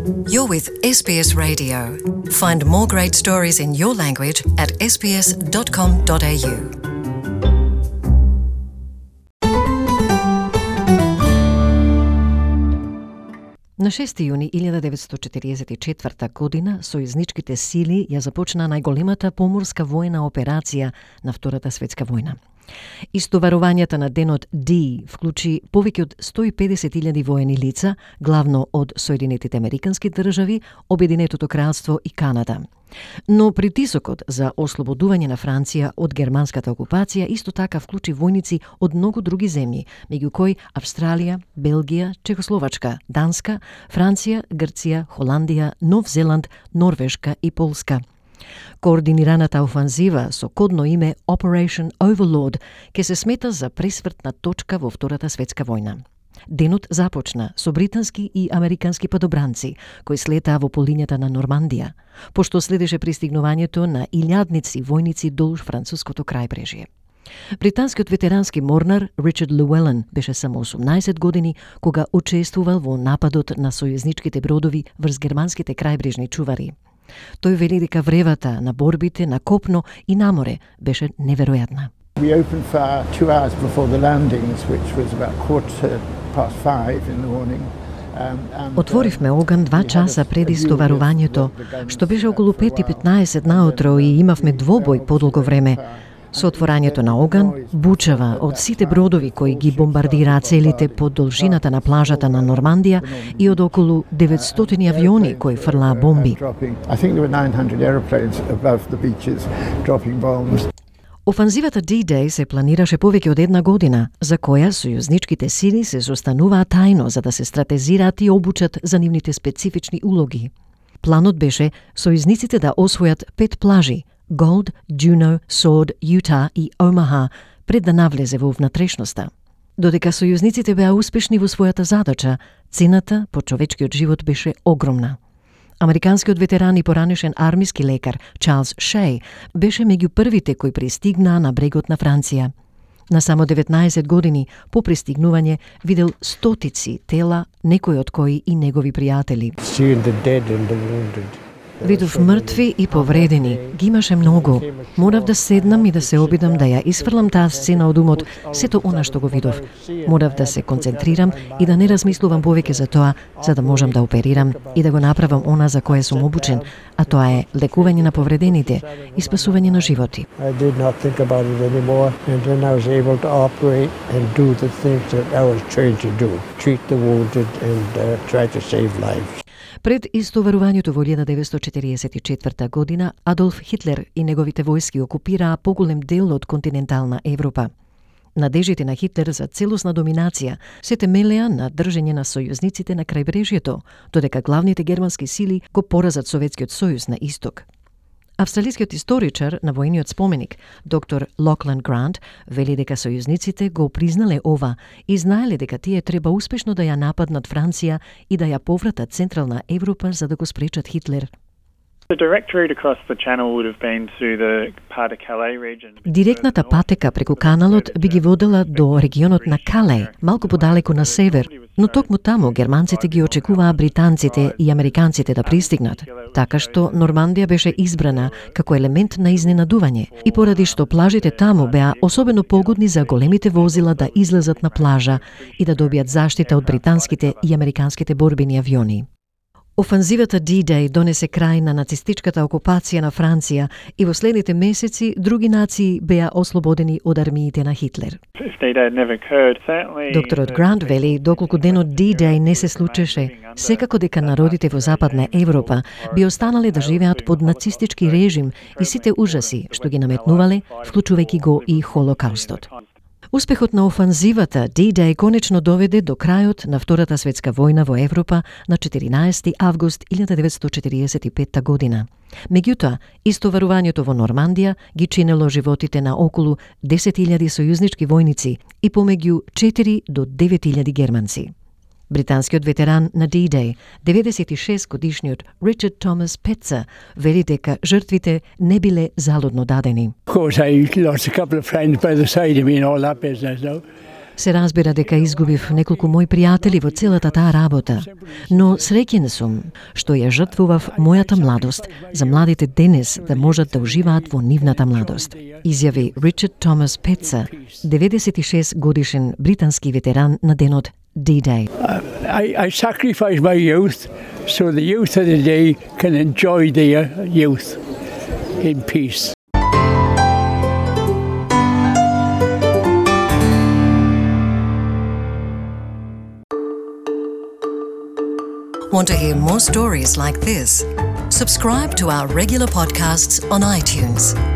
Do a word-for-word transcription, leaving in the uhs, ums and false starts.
You're with S B S Radio. Find more great stories in your language at s b s dot com dot a u. На шести јуни илјада деветстотини четиридесет и четврта година сојузничките сили ја започна најголемата поморска војна операција на Втората светска војна. Истоварувањето на денот D вклучи повеќе од сто и педесет илјади воени лица, главно од Соединетите американски држави, Обединетото кралство и Канада. Но притисокот за ослободување на Франција од германската окупација исто така вклучи војници од многу други земји, меѓу кои Австралија, Белгија, Чехословачка, Данска, Франција, Грција, Холандија, Нов Зеланд, Норвешка и Полска. Координираната офанзива со кодно име Operation Overlord ке се смета за пресвртна точка во Втората светска војна. Денот започна со британски и американски падобранци, кои слетаа во полињата на Нормандија, пошто следеше пристигнувањето на илјадници војници долж француското крајбрежје. Британскиот ветерански морнар Ричард Луелен беше само осумнаесет години кога учествувал во нападот на сојузничките бродови врз германските крајбрежни чувари. Тој вели дека вревата на борбите на копно и на море беше неверојатна. We opened fire two hours before the landings, which was about quarter past five in the morning. Отворивме оган два часа пред истоварувањето, што беше околу пет и петнаесет наутро и имавме двобој подолго време. Со отворањето на оган, бучава од сите бродови кои ги бомбардираа целите по должината на плажата на Нормандија и од околу деветстотини авиони кои фрлаа бомби. Офанзивата D-Day се планираше повеќе од една година, за која сојузничките сили се состануваа тајно за да се стратезираат и обучат за нивните специфични улоги. Планот беше сојузниците да освојат пет плажи – Gold, Juno, Sword, Utah и Omaha, пред да навлезе во внатрешноста. Додека сојузниците беа успешни во својата задача, цената по човечкиот живот беше огромна. Американскиот ветеран и поранешен армиски лекар Чарлс Шеј беше меѓу првите кои пристигнаа на брегот на Франција. На само деветнаесет години по пристигнување видел стотици тела, некои од кои и негови пријатели. Видов мртви и повредени, ги имаше многу. Морав да седнам и да се обидам да ја исфрлам таа сцена од умот, сето она што го видов. Морав да се концентрирам и да не размислувам повеќе за тоа, за да можам да оперирам и да го направам она за кое сум обучен, а тоа е лекување на повредените и спасување на животи. I did not think about it anymore, and then I was able to operate and do the things that I was trained to do, treat the wounded and uh, try to save lives. Пред истоварувањето во илјада деветстотини четиридесет и четврта година, Адолф Хитлер и неговите војски окупираа поголем дел од континентална Европа. Надежите на Хитлер за целосна доминација се темелеа на држење на сојузниците на крајбрежјето, додека главните германски сили го поразат Советскиот сојуз на исток. Австралискиот историчар на војниот споменик, доктор Локланд Грант, вели дека сојузниците го признале ова и знаеле дека тие треба успешно да ја нападнат Франција и да ја повратат Централна Европа за да го спречат Хитлер. Директната патека преку каналот би ги водела до регионот на Калеј, малку подалеку на север, но токму таму германците ги очекуваа британците и американците да пристигнат, така што Нормандија беше избрана како елемент на изненадување и поради што плажите таму беа особено погодни за големите возила да излезат на плажа и да добијат заштита од британските и американските борбени авиони. Офанзивата D-Day донесе крај на нацистичката окупација на Франција и во следните месеци други нации беа ослободени од армиите на Хитлер. Докторот Грант вели, доколку денот D-Day не се случеше, секако дека народите во Западна Европа би останале да живеат под нацистички режим и сите ужаси што ги наметнувале, вклучувајќи го и Холокаустот. Успехот на офанзивата D-Day конечно доведе до крајот на Втората светска војна во Европа на четиринаесети август илјада деветстотини четиридесет и петта година. Меѓутоа, истоварувањето во Нормандија ги чинело животите на околу десет илјади сојузнички војници и помеѓу четири до девет илјади германци. Британскиот ветеран на D-Day, деветдесет и шест годишниот Ричард Томас Петца, вели дека жртвите не биле залудно дадени. Of course, I lost a couple of friends by the side of me and all that business now. Се разбира дека изгубив неколку мои пријатели во целата таа работа, но среќен сум што ја жртвував мојата младост за младите денес да можат да уживаат во нивната младост, изјави Ричард Томас Петса, деветдесет и шест годишен британски ветеран на денот D-Day. I, I sacrificed my youth so the youth of the day can enjoy their youth in peace. Want to hear more stories like this? Subscribe to our regular podcasts on iTunes.